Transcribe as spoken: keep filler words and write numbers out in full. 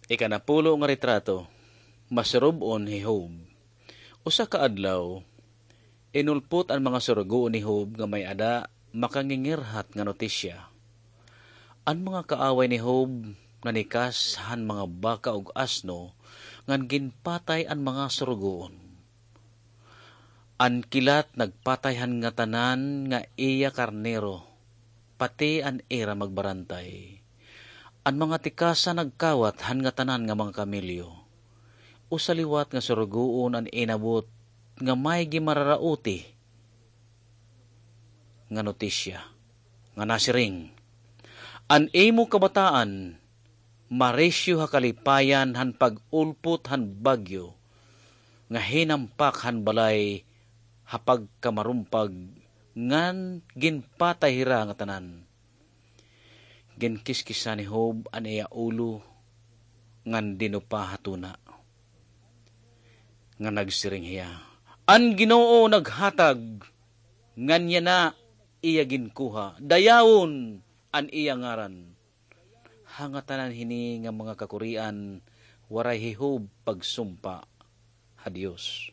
Ikanapulo nga retrato, masurob-on hi Job. Usa ka adlaw, inulpot an mga surugoon ni Job nga may-ada makangingirhat nga notisya. An mga kaaway ni Job nanikas han mga baka ug asno ngan ginpatay an mga surugoon. An kilat nagpatay han ngatanan nga iya karnero, pati an ira magbarantay. An mga tikasa nagkawat han ngatanan nga mga kamelyo. Usa liwat nga surugoon an inabot nga may gimararauti nga notisya nga nasiring, "An imo kabataan marisyo ha kalipayan han pag-ulpot han bagyo nga hinampak han balay ha pagkamarumpag ngan ginpatay hira ngatanan." Ginkiskisan ni Job an iya ulo ngan dinupa ha tuna, nga nagsiring hiya, "An Ginoo naghatag, ngan yana iya ginkuha. Dayawon an iya ngaran." Ha ngatanan hini nga mga kakurian, waray hi Job pagsumpa ha Dios.